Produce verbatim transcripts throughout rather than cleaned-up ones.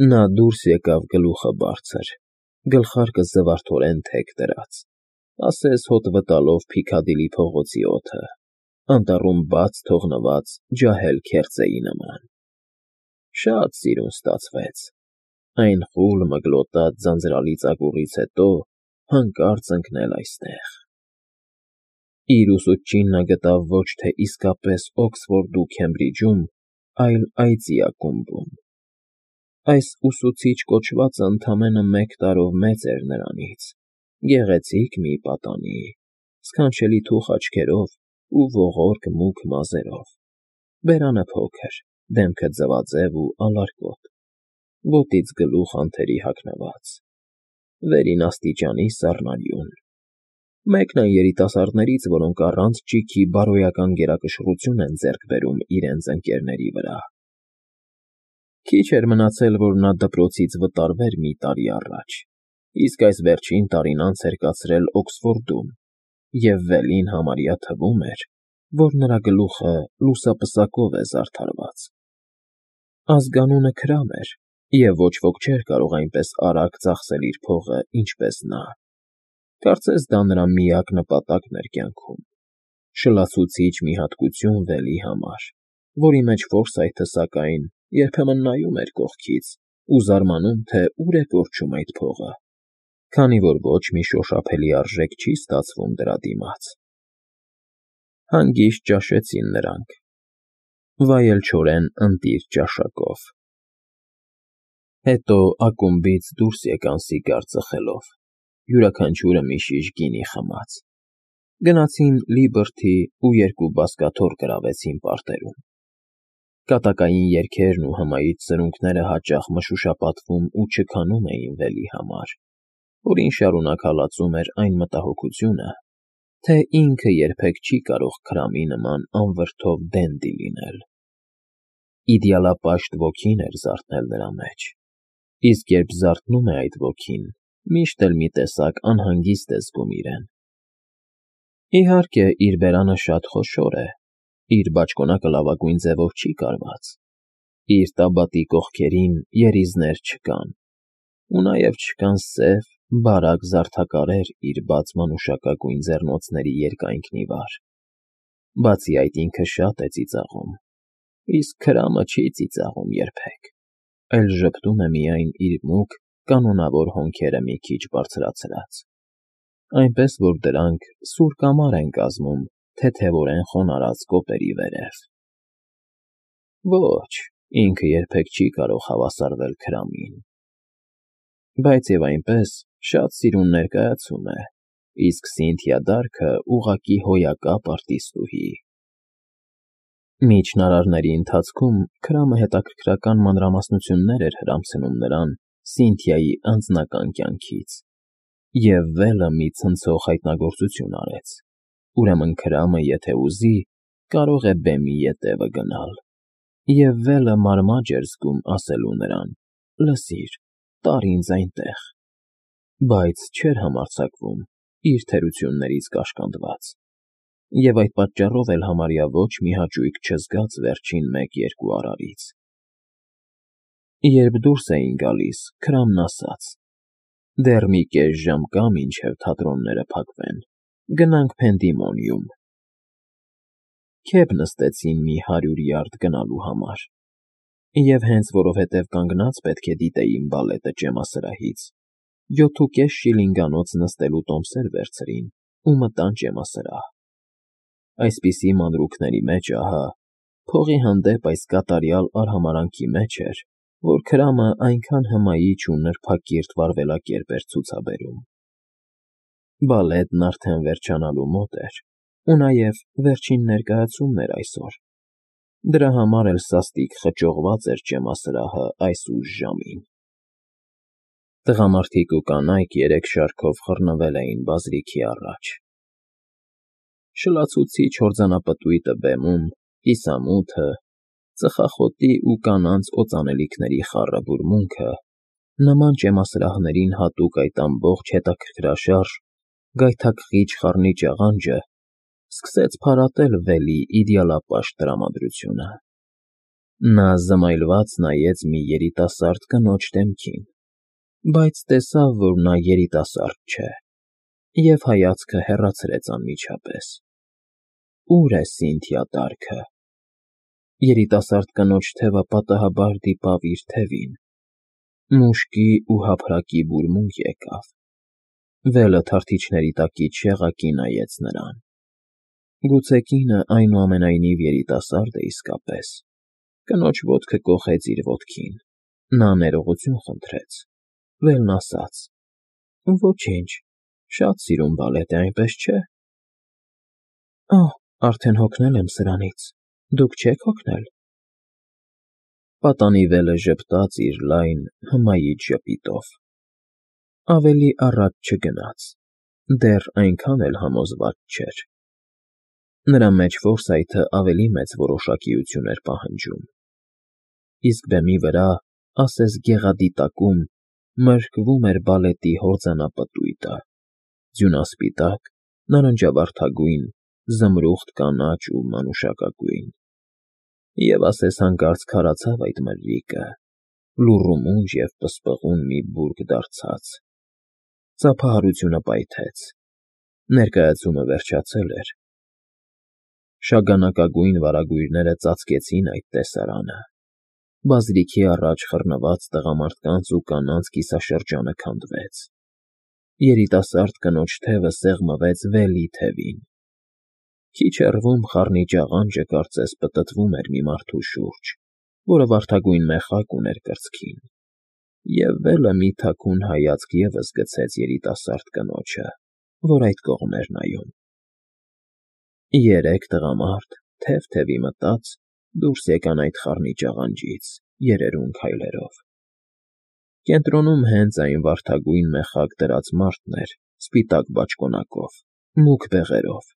Նա դուրս եկավ գլուխը բարձր, գլխարկը զվարթորեն թեք դրած, ասես հոտ վտալով Փիքադիլի փողոցի օդը, անտառում բաց թողնված ջահել քերծեի նման. շատ սիրուն ստացվեց, այն խուլ մգլոտած ձանձրալի ծակուղից հետո հանկարծ ընկնել այստեղ… Իր ուսուցչին նա գտավ ոչ թե իսկապես Օքսֆորդու Քեմբրիջում, այլ այծի ակումբում. այս ուսուցիչ կոչվածը ընդամենը մեկ տարով մեծ էր նրանից, գեղեցիկ մի պատանի, սքանչելի թուխ աչքերով ու ողորկ մուգ մազերով, բերանը փոքր, դեմքը ձվաձև ու ալարկոտ, ոտից գլուխ անթերի հագնված, վերին աստիճանի սառնարյուն, մեկն այն երիտասարդներից, որոնք առանց ճիգի բարոյական գերակշռություն են ձեռք բերում իրենց ընկերների վրա… Քիչ էր մնացել, որ նա դպրոցից վտարվեր մի տարի առաջ, իսկ այս վերջին տարին անց էր կացրել Օքսֆորդում, և Վելին համարյա թվում էր, որ նրա գլուխը լուսապսակով է զարդարված… Ազգանունը Քրամ էր, և ոչ ոք չէր կարող այնպես արագ ծախսել իր փողը, ինչպես նա… Կարծես դա նրա միակ նպատակն էր կյանքում, շլացուցիչ մի հատկություն Վելի համար, որի մեջ Ֆորսայթը, սակայն, երբեմն նայում էր կողքից ու զարմանում, թե ուր է կորչում այդ փողը, քանի որ ոչ մի շոշափելի արժեք չի ստացվում դրա դիմաց… Հանգիստ ճաշեցին նրանք, վայելչորեն ընտիր ճաշակով… Հետո ակումբից դուրս եկան սիգար ծխելով, յուրաքանչյուրը մի շիշ գինի խմած, գնացին Լիբրթի ու երկու բազկաթոռ գրավեցին պարտերում… Կատակային երգերն ու հմայիչ սրունքները հաճախ մշուշապատվում ու չքանում էին Վելի համար, որին շարունակ հալածում էր այն մտահոգությունը, թե ինքը երբեք չի կարող Քրամի նման անվրդով դենդի լինել… Իդեալապաշտ ոգին էր զարթնել նրա մեջ, իսկ երբ զարթնում է այդ ոգին, միշտ էլ մի տեսակ անհանգիստ է զգում իրեն… Իհարկե, իր բերանը շատ խոշոր է, իր բաճկոնակը լավագույն ձևով չի կարված, իր տաբատի կողքերին երիզներ չկան, ու նաև չկան սև, բարակ զարդաքարեր իր բաց մանուշակագույն ձեռնոցների երկայնքն ի վար… Բացի այդ ինքը շատ է ծիծաղում, իսկ Քրամը չի ծիծաղում երբեք, այլ ժպտում է միայն իր մուգ, կանոնավոր հոնքերը մի քիչ բարձրացրած, այնպես որ դրանք սուր կամար են կազմում թեթևորեն խոնարհած կոպերի վերև… Ոչ, ինքը երբեք չի կարող հավասարվել Քրամին… Բայց և այնպես շատ սիրուն ներկայացում է, իսկ Սինթիա Դարքը ուղղակի հոյակապ արտիստուհի… Միջնարարների ընթացքում Քրամը հետաքրքրական մանրամասնություններ էր հրամցնում նրան Սինթիայի անձնական կյանքից, և Վելը մի ցնցող հայտնագործություն արեց, ուրեմն Քրամը, եթե ուզի, կարող է բեմի ետևը գնալ, և Վելը մարմաջ էր զգում ասելու նրան. «Լսիր, տարր ինձ այնտեղ», բայց չէր համարձակվում, իր թերություններից կաշկանդված, և այդ պատճառով էլ համարյա ոչ մի հաճույք չզգաց վերջին մեկ֊երկու արարից… Երբ դուրս էին գալիս, Քրամն ասաց. «Դեռ մի կես ժամ կա, մինչև թատրոնները փակվեն, գնանք Փենդիմոնիում»… Քեֆ նստեցին մի հարյուր յարդ գնալու համար, և հենց որովհետև կանգնած պետք է դիտեին բալետը ճեմասրահից, յոթուկես շիլինգանոց նստելու տոմսեր վերցրին ու մտան ճեմասրահ… Այսպիսի մանրուքների մեջ, ահա, փողի հանդեպ այս կատարյալ արհամարհանքի մեջ էր, որ Քրամը այնքան հմայիչ ու նրբակիրթ վարվելակերպ էր ցուցաբերում… Բալետն արդեն վերջանալու մոտ էր, ու նաև վերջին ներկայացումն էր այսօր, դրա համար էլ սաստիկ խճողված էր ճեմասրահը այս ուշ ժամին… Տղամարդիկ ու կանայք երեք շարքով խռնվել էին բազրիքի առաջ… Շլացուցիչ հորձանապտույտը բեմում, կիսամութը, ծխախոտի ու կանանց օծանելիքների խառը բուրմունքը, նման ճեմասրահներին հատուկ այդ ամբողջ հետաքրքրաշարժ, գայթակղիչ խառնիչ աղանջը սկսեց փարատել Վելի իդեալապաշտ տրամադրությունը… Նա զմայլված նայեց մի երիտասարդ կնոջ դեմքին, բայց տեսավ, որ նա երիտասարդ չէ, և հայացքը հեռացրեց անմիջապես։ Ո՞ւր է Սինթիա տառքը։ Երիտասարդ կնոջ թևը պատահաբար դիպավ իր թևին, մուշկի ու հափրակի բուրմունք եկավ, վելը թարթիչների տակից շեղակի նայեց նրան։ Գուցե կինը այնուամենայնիվ երիտասարդ է իսկապես։ Կնոջ ոտքը կոխեց իր ոտքին, նա ներողություն խնդրեց, վելն ասաց. «Ոչինչ, շատ սիրուն բալետ է, այնպես չէ»։ Ահ, արդեն հոգնել եմ սրանից, դուք չե՞ք հոգնել։ Պատանի վելը ժպտաց իր լայն, հմայիչ ժպիտով։ Ավելի առաջ չգնաց, դեռ այնքան էլ համոզված չէր։ Նրա մեջ ֆորսայթը ավելի մեծ որոշակիություն էր պահանջում։ Իսկ բեմի վրա, ասես գեղադիտակում, մրկվում էր բալետի հորձանապտույտը՝ ձյունասպիտակ, նարնջավարդագույն, զմրուխտ կանաչ ու մանուշակագույն։ Եվ ասես հանկարծ քարացավ այդ մրրիկը, լուռումունջ և պսպղուն մի բուրգ դարձած։ Ծափահարությունը պայթեց։ Ներկայացումը վերջացել էր։ Շագանակագույն վարագույրները ծածկեցին այդ տեսարանը։ Բազրիքի առաջ խռնված տղամարդկանց ու կանանց կիսաշրջանը քանդվեց։ Երիտասարդ կնոջ թևը սեղմվեց վելի թևին։ Քիչ հեռվում խառնիճ աղանջը կարծես պտտվում էր մի մարդու շուրջ, որը վարդագույն մեխակ ուներ կրծքին, և վելը մի թաքուն հայացք ևս գցեց երիտասարդ կնոջը, որ այդ կողմ էր նայում։ Երեք տղամարդ, թև֊թևի մտած, դուրս եկան այդ խառնիճ աղանջից, երերուն քայլերով։ Կենտրոնում հենց այն վարդագույն մեխակ դրած մարդն էր, սպիտակ բաճկոնակով, մուգ բեղերով։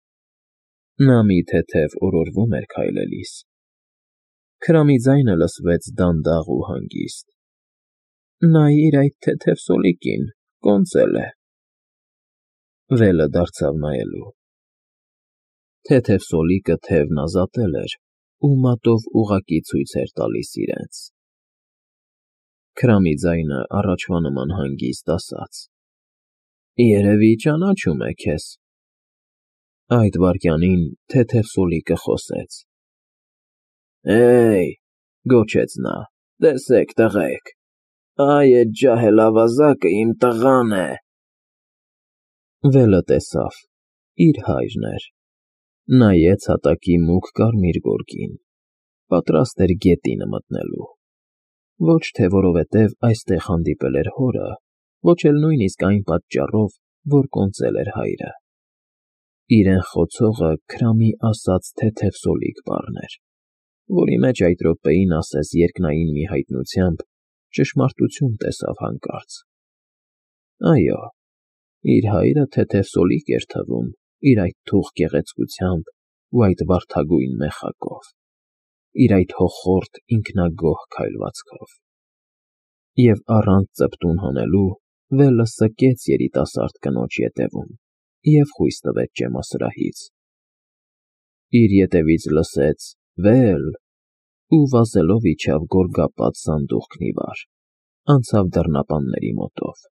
Նա մի թեթև օրորվում էր քայլելիս։ Քրամի ձայնը լսվեց դանդաղ ու հանգիստ. «Նայիր այդ թեթև սոլիկին, կոնծել է»։ Վելը դարձավ նայելու։ Թեթև սոլիկը թևն ազատել էր ու մատով ուղղակի ցույց էր տալիս իրենց։ Քրամի ձայնը առաջվա նման հանգիստ ասաց. «Երևի ճանաչում է քեզ»։ Այդ վայրկյանին թեթև սոլիկը խոսեց. «Հե՜յ», գոչեց նա, «տեսեք, տղեկ, այ էդ ջահել ավազակը իմ տղան է»։ Վելը տեսավ՝ իր հայրն էր։ Նայեց հատակի մուգ կարմիր գորգին, պատրաստ էր գետինը մտնելու։ Ոչ թե որովհետև այստեղ հանդիպել էր հորը, ոչ էլ նույնիսկ այն պատճառով, որ կոնծել էր հայրը։ Իրեն խոցողը Քրամի ասած թեթև սոլիկ բառն էր, որի մեջ այդ րոպեին ասես երկնային մի հայտնությամբ ճշմարտություն տեսավ հանկարծ։ Այո, իր հայրը թեթև սոլիկ էր թվում իր այդ թուխ գեղեցկությամբ ու այդ վարդագույն մեխակով, իր այդ հոխորտ ինքնագոհ քայլվածքով։ Եվ առանց ծպտուն հանելու վելը սկեց երիտասարդ կնոջ ետևում և խույս տվեց ճեմասրահից։ Իր ետևից լսեց «Վել» ու վազելով իջավ գորգապատ սանդուղքն ի վար, անցավ դռնապանների մոտով,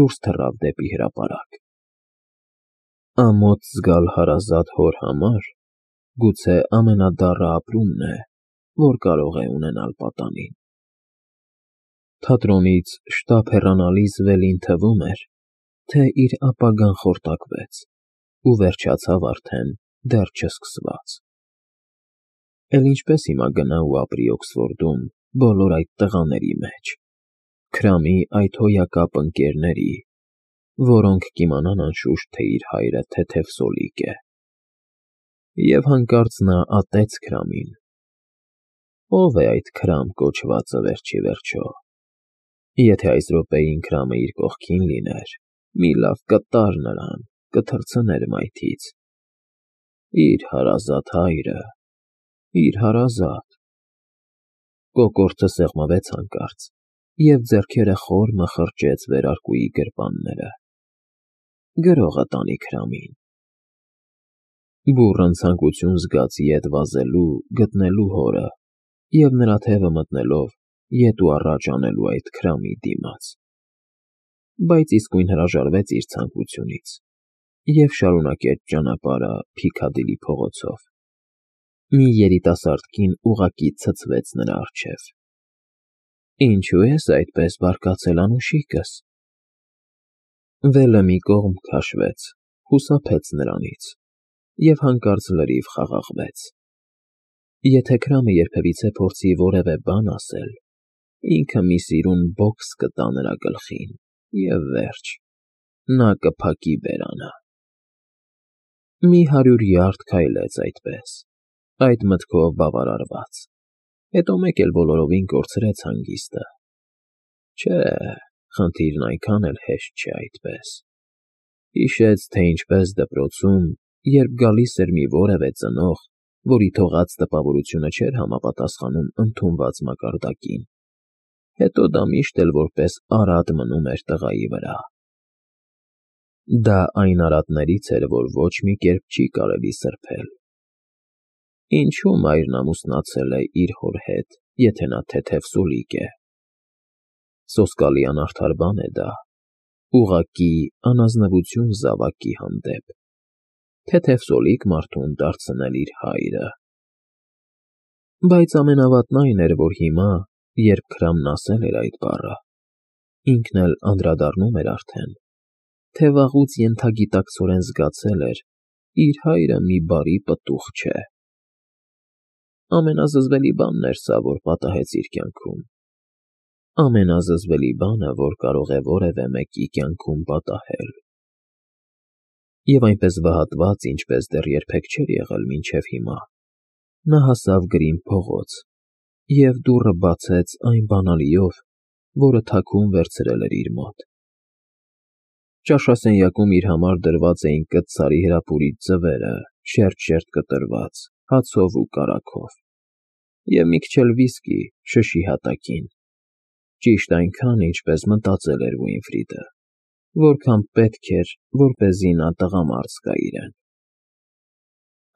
դուրս թռավ դեպի հրապարակ։ Ամոթ զգալ հարազատ հոր համար գուցե ամենադառը ապրումն է, որ կարող է ունենալ պատանին։ Թատրոնից շտապ հեռանալիս Վելին թվում էր, թե իր ապագան խորտակվեց ու վերջացավ արդեն դեռ չսկսված։ Էլ ինչպես հիմա գնա ու ապրի Օքսֆորդում բոլոր այդ տղաների մեջ, Քրամի այդ հոյակապ ընկերների, որոնք կիմանան անշուշտ, թե իր հայրը թեթև սոլիկ է։ Եվ հանկարծ նա ատեց Քրամին։ Ո՞վ է այդ Քրամ կոչվածը վերջ ի վերջո։ Եթե այս րոպեին Քրամը իր կողքին լիներ, մի լավ կտար նրան, կթռցներ մայթից։ Իր հարազատ հայրը, իր հարազատ… Կոկորդը սեղմվեց հանկարծ, և ձեռքերը խոր մխրճեց վերարկուի գրպանները։ Գրողը տանի Քրամին։ Բուռն ցանկություն զգաց ետ վազելու, գտնելու հորը, և նրա թևը մտնելով ետ ու առաջ անելու այդ քրամի դիմաց, բայց իսկույն հրաժարվեց իր ցանկությունից և շարունակեց ճանապարհը Փիքադիլի փողոցով։ Մի երիտասարդ կին ուղղակի ցցվեց նրա առջև։ «Ինչո՞ւ ես այդպես բարկացել, անուշիկս»։ Վելը մի կողմ քաշվեց, խուսափեց նրանից և հանկարծ լրիվ խաղաղվեց։ Եթե քրամը երբևիցե փորձի որևէ բան ասել, ինքը մի սիրուն բոքս կտա նրա գլխին, և վերջ, նա կփակի բերանը։ Մի հարյուր յարդ քայլեց այդպես, այդ մտքով բավարարված, հետո մեկ էլ բոլորովին կորցրեց հանգիստը։ Չէ, խնդիրն այնքան էլ հեշտ չէ այդպես։ Հիշեց, թե ինչպես դպրոցում, երբ գալիս էր մի որևէ ծնող, որի թողած տպավորությունը չէր համապատասխանում ընդունված մակարդակին, հետո դա միշտ էլ որպես արատ մնում էր տղայի վրա։ Դա այն արատներից էր, որ ոչ մի կերպ չի կարելի սրբել։ Ինչու մայրն ամուսնացել է իր հոր հետ, եթե նա թեթև սուլիկ է։ Սոսկալի անարդար բան է դա, ուղղակի անազնվություն զավակի հանդեպ, թեթև սոլիկ մարդուն դարձնել իր հայրը։ Բայց ամենավատն այն էր, որ հիմա, երբ քրամն ասել էր այդ բառը, ինքն էլ անդրադառնում էր արդեն, թե վաղուց ենթագիտակցորեն զգացել էր. իր հայրը մի բարի պտուղ չէ։ Ամենազզվելի բանն էր սա, որ պատահեց իր կյանքում, ամենազզվելի բանը, որ կարող է որևէ մեկի կյանքում պատահել։ Եվ այնպես վհատված, ինչպես դեռ երբեք չէր եղել մինչև հիմա, նա հասավ գրին փողոց և դուռը բացեց այն բանալիով, որը թաքուն վերցրել էր իր մոտ։ Ճաշասենյակում իր համար դրված էին կաթսարի հրապուրիչ ձվերը, շերտ֊շերտ կտրված, հացով ու կարագով, և մի քիչ էլ վիսկի շշի հատակին, ճիշտ այնքան, ինչպես մտածել էր Ուինֆրիդը, որքան պետք էր, որպեսզի նա տղամարդ զգա իրեն։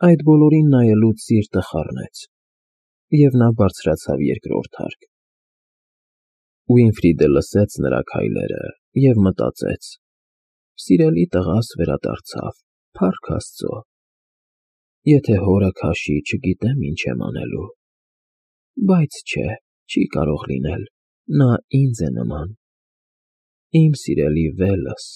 Այդ բոլորին նայելուց սիրտը խառնեց, և նա բարձրացավ երկրորդ հարկ։ Ուինֆրիդը լսեց նրա քայլերը և մտածեց. «Սիրելի տղաս վերադարձավ, փառք Աստծո։ Եթե հորը քաշի, չգիտեմ ինչ եմ անելու։ Բայց չէ, չի կարող լինել, նա ինձ է նման, իմ սիրելի Վելս»։